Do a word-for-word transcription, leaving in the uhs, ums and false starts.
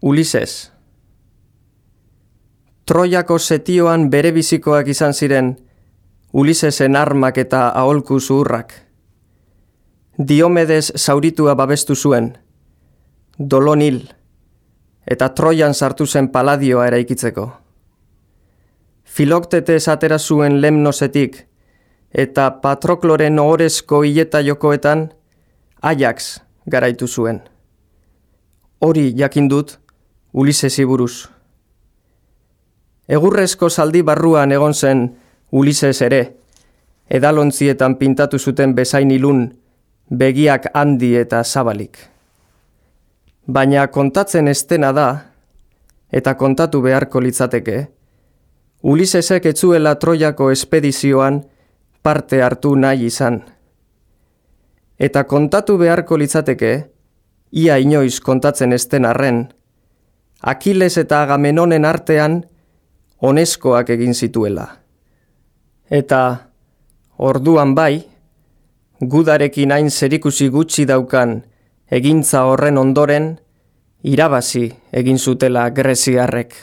Ulises. Troiako setioan berebizikoak izan ziren Ulisesen armak eta aholku zuhurrak. Diomedes zauritua babestu zuen, Dolon hil, eta Troian sartu zen Paladioa eraikitzeko. Filoktetes atera zuen Lemnosetik, eta Patrokloren ohorezko hileta jokoetan Ajax garaitu zuen. Hori jakin dut Ulisesi buruz. Egurrezko zaldi barruan egon zen Ulises ere, edalontzietan pintatu zuten bezain ilun, begiak handi eta zabalik. Baina kontatzen estena da, eta kontatu beharko litzateke, Ulisesek etzuela Troiako espedizioan parte hartu nahi izan. Eta kontatu beharko litzateke, ia inoiz kontatzen esten arren, Akiles eta Agamenonen artean oneskoak egin zituela. Eta orduan bai, gudarekin hain zerikusi gutxi daukan egintza horren ondoren, irabazi egin zutela greziarrek.